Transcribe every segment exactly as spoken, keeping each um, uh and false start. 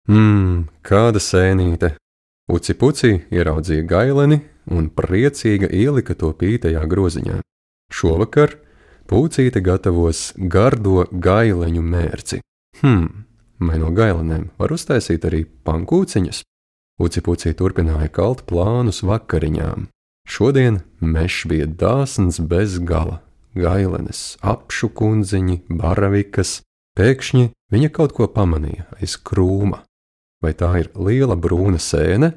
Mmm, kāda sēnīte! Uci puci ieraudzīja gaileni un priecīga ielika to pītajā groziņā. Šovakar Pucīte gatavos gardo gaileņu mērci. Hm, vai no gailenēm var uztaisīt arī pankūciņas? Uci puci turpināja kalt plānus vakariņām. Šodien mešs bija dāsns bez gala. Gailenes, apšu kundziņi, baravikas. Pēkšņi viņa kaut ko pamanīja aiz krūma. Vai tā ir liela brūna sēne?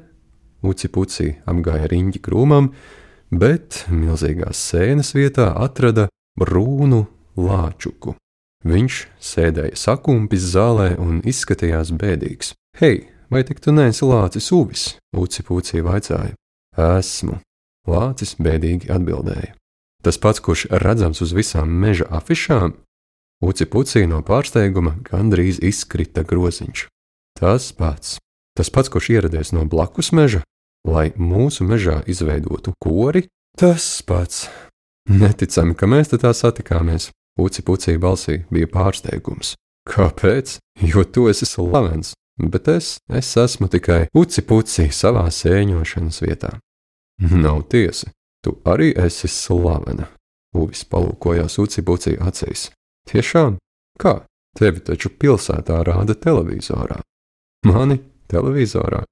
Uci puci apgāja riņķi krūmam, bet milzīgās sēnes vietā atrada brūnu lāčuku. Viņš sēdēja sakumpis zālē un izskatījās bēdīgs. Hei, vai tik tu neesi lācis uvis? Uci puci vaicāja. Esmu. Lācis bēdīgi atbildēja. Tas pats, kurš redzams uz visām meža afišām? Uci puci no pārsteiguma gandrīz izkrita groziņš. Tas pats. Tas pats, kurš ieradies no blakus meža, lai mūsu mežā izveidotu kori? Tas pats. Neticami, ka mēs te tā satikāmies. Uci puci balsī bija pārsteigums. Kāpēc? Jo tu esi slavens, bet es, es esmu tikai uci puci savā sēņošanas vietā. Nav tiesa, tu arī esi slavena. Uvis palūkojās uci puci acīs. Tiešām? Kā? Tevi taču pilsētā rāda televizorā. Mani televizorā?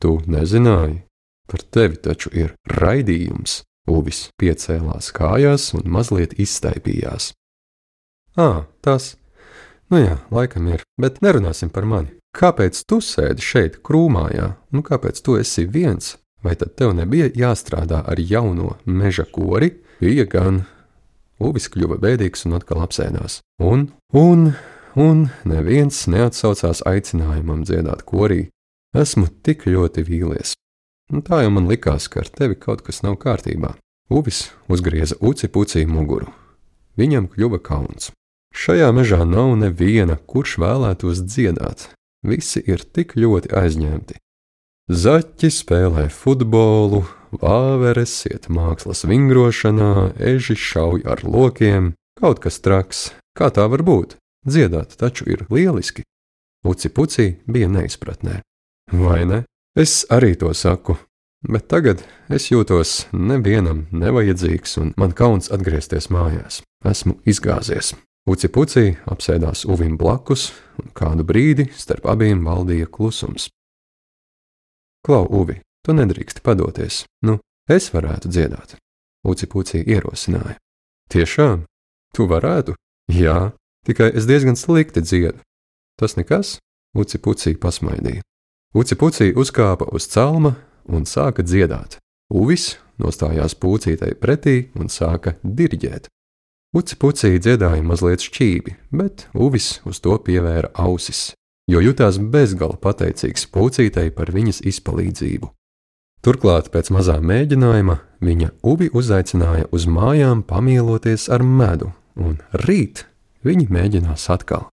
Tu nezināji? Par tevi taču ir raidījums. Uvis piecēlās kājās un mazliet izstaipījās. Ā, tas. Nu jā, laikam ir, bet nerunāsim par mani. Kāpēc tu sēdi šeit krūmājā? Nu kāpēc tu esi viens? Vai tad tev nebija jāstrādā ar jauno meža kori? Bija gan. Uvis kļuva bēdīgs un atkal apsēdās. Un, un, un neviens neatsaucās aicinājumam dziedāt korī. Esmu tik ļoti vīlies. Un tā jau man likās, ka ar tevi kaut kas nav kārtībā. Uvis uzgrieza uci puci muguru. Viņam kļuva kauns. Šajā mežā nav neviena, kurš vēlētos dziedāt. Visi ir tik ļoti aizņemti. Zaķi spēlē futbolu, vāveres iet mākslas vingrošanā, eži šauj ar lokiem. Kaut kas traks. Kā tā var būt? Dziedāt taču ir lieliski. Uci puci bija neizpratnē. Vai ne? Es arī to saku, bet tagad es jūtos nevienam nevajadzīgs un man kauns atgriezties mājās. Esmu izgāzies. Uci puci apsēdās uvim blakus un kādu brīdi starp abiem valdīja klusums. Klau, Uvi, tu nedrīksti padoties. Nu, es varētu dziedāt. Uci puci ierosināja. Tiešām? Tu varētu? Jā, tikai es diezgan slikti dziedu. Tas nekas? Uci puci pasmaidīja. Uci puci uzkāpa uz celma un sāka dziedāt. Uvis nostājās pucītei pretī un sāka diriģēt. Uci puci dziedāja mazliet šķīvi, bet Uvis uz to pievēra ausis, jo jutās bezgala pateicīgs pucītei par viņas izpalīdzību. Turklāt pēc mazā mēģinājuma viņa Uvi uzaicināja uz mājām pamieloties ar medu, un rīt viņi mēģinās atkal.